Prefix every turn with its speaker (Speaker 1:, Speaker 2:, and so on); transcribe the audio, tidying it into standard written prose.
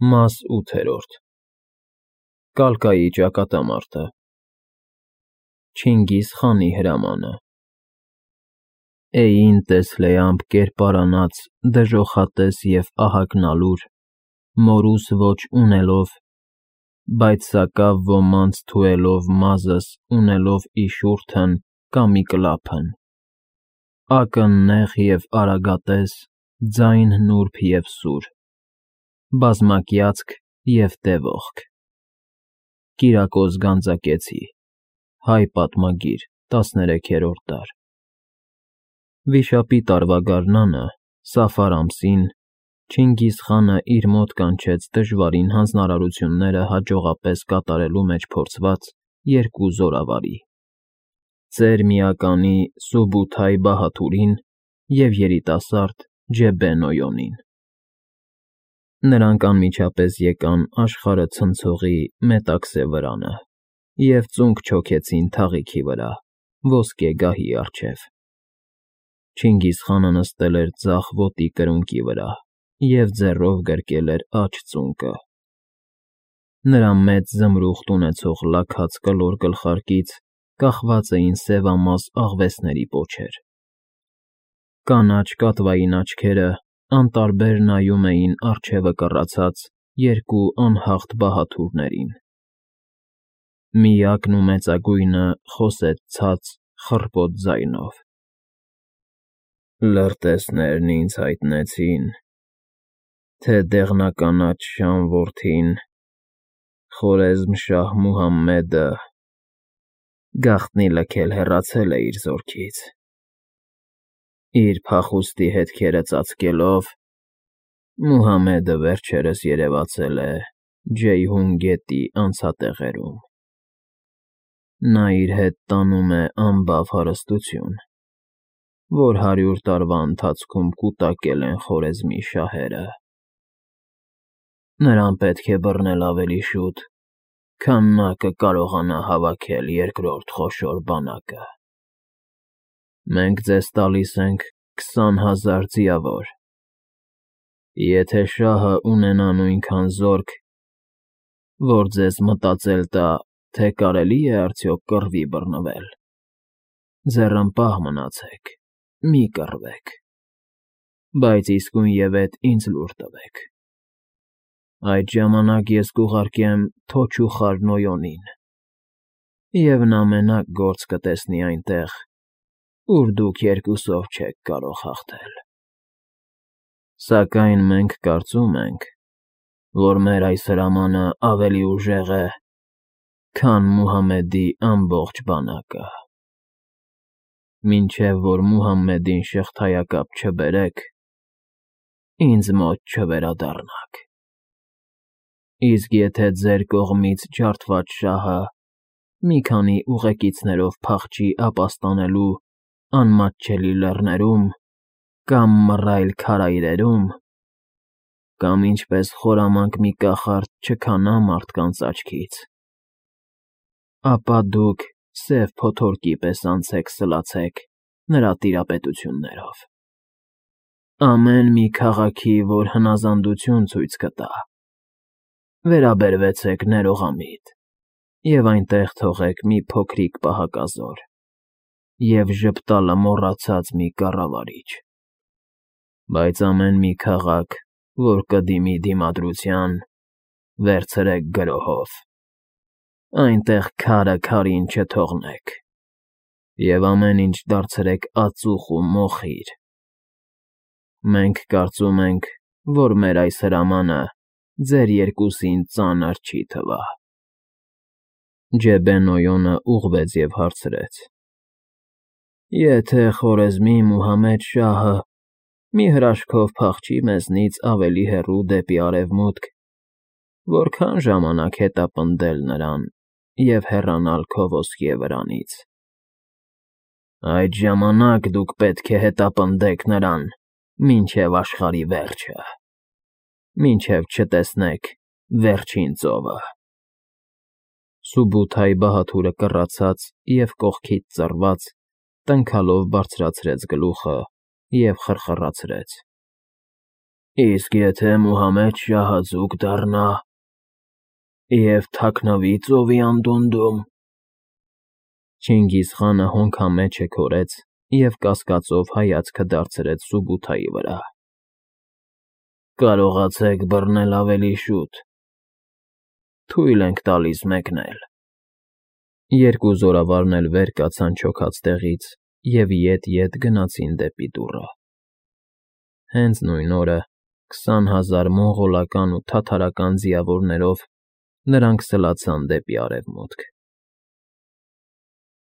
Speaker 1: Մաս 8 Կալկայի ճակատամարտը Չինգիզ խանի հրամանը Էին տեսլեամբ կերպարանած, դժոխատես և ահագնալուր, մորուս ոչ ունելով, բայց սակավ ոմանց թուելով մազս ունելով իշուրթն կամի կլափն, ակն նեղ և արագատես, ձայն նուրբ և սուր, բազմակյացք և դևողք, Կիրակոս Գանձակեցի, Հայ պատմագիր, 13-րդ դար Վիշապի տարվա գարնանը, Սաֆար ամսին, Չինգիզ խանը իր մոտ կանչեց դժվարին հանձնարարությունները հաջողապես կատարելու մեջ փորձված երկու զորավարի՝ ծեր միականի Սուբութայ Բահաթուրին և երիտասարդ Ջեբեն Օյոնին։ Նրանք անմիջապես եկան աշխարհը ցնցողի Մետաքսե վրանը և ծունկ չոքեցին թաղիքի վրա, ոսկե գահի առջև։ Չինգիզ խանը նստել էր ձախ ոտի կրունկի վրա և ձեռով գրկել էր աջ ծունկը։ Նրա մեծ զմրուխտ ունեցող լաքած կլոր գլխարկից կախված էին սևամաս աղվեսների պոչեր։ Կանաչ կատվային աչքերը անտարբեր նայում էին առջևը կռացած երկու անհաղթ բահաթուրներին։ Միակն ու մեծագույնը խոսեց ցած, խռպոտ ձայնով. Լրտեսներն ինձ հայտնեցին, թե դեղնականաչ շան որդին, Խորեզմշահ Մուհամմեդը, գաղտնի լքել հեռացել է իր զորքից։ Իր փախուստի հետքերը ծածկելով, Մուհամմեդը վերջերս երևացել է Ջեյհուն գետի անցատեղերում։ Նա իր հետ տանում է անբավ հարստություն, որ 100 տարվա ընթացքում կուտակել են Խորեզմի շահերը։ Նրան պետք է բռնել ավելի շուտ, քան նա կկարողանա հավաքել երկրորդ խոշոր բանակը։ Մենք ձեզ տալիս ենք 20,000 ձիավոր։ Եթե շահը ունենա նույնքան զորք, որ ձեզ մտածել տա, թե կարելի է արդյոք կռվի բռնվել, ձեռնպահ մնացեք, մի կռվեք, բայց իսկույնևեթ ինձ լուր տվեք։ Այդ ժամանակ ես կուղարկեմ Թոչուխար Նոյոնին, և նա մենակ գործ կտեսնի այնտեղ, ուր դուք երկուսով չեք կարող հաղթել։ Սակայն մենք կարծում ենք, որ մեր այս հրամանը ավելի ուժեղ է, քան Մուհամմեդի ամբողջ բանակը։ Մինչև որ Մուհամմեդին շղթայակապ չբերեք, ինձ մոտ չվերադառնաք։ Իսկ եթե ձեր կողմից ջարդված շահը մի քանի ուղեկիցներով փախչի ապաստանելու անմատչելի լեռներում կամ մռայլ քարայրերում, կամ ինչպես խորամանկ մի կախարդ չքանա մարդկանց աչքից, ապա դուք սև փոթորկի պես անցեք սլացեք նրա տիրապետություններով։ Ամեն մի քաղաքի, որ հնազանդություն ցույց կտա, վերաբերվեցեք ներողամիտ և այնտեղ թողեք մի փոքրիկ պահակազոր և ժպտալը մոռացած մի կառավարիչ։ Բայց ամեն մի քաղաք, որ կդիմի դիմադրության, վերցրեք գրոհով, այնտեղ քարը քարին չթողնեք, և ամեն ինչ դարձրեք ածուխ ու մոխիր։ Մենք կարծում ենք, որ մեր այս հրամանը ձեր երկուսին ծանր չի թվա։ Ջեբեն Օյոնը ուղղվեց և հարցրեց. Եթե Խորեզմի Մուհամմեդ շահը մի հրաշքով փախչի մեզնից ավելի հեռու դեպի արևմուտք, որքա՞ն ժամանակ հետապնդել նրան և հեռանալ քո ոսկե վրանից։ Այդ ժամանակ դուք պետք է հետապնդեք նրան մինչև աշխարհի վերջը, մինչև չտեսնեք վերջին ծովը։ Սուբութայ Բահաթուրը կռացած և կողքից ծռված, տնքալով բարձրացրեց գլուխը և խռխռացրեց. Իսկ եթե Մուհամեդ շահը ձուկ դառնա և թաքնվի ծովի անդունդում… Չինգիզխանը հոնքամեջը քորեց և կասկածով հայացքը դարձրեց Սուբութայի վրա։ Կարողացեք բռնել ավելի շուտ, թույլ ենք տալիս մեկնել… Երկու զորավարն էլ վեր կացան չոքած տեղից և ետ֊ետ գնացին դեպի դուռը։ Հենց նույն օրը 20,000 մոնղոլական ու թաթարական ձիավորներով նրանք սլացան դեպի արևմուտք։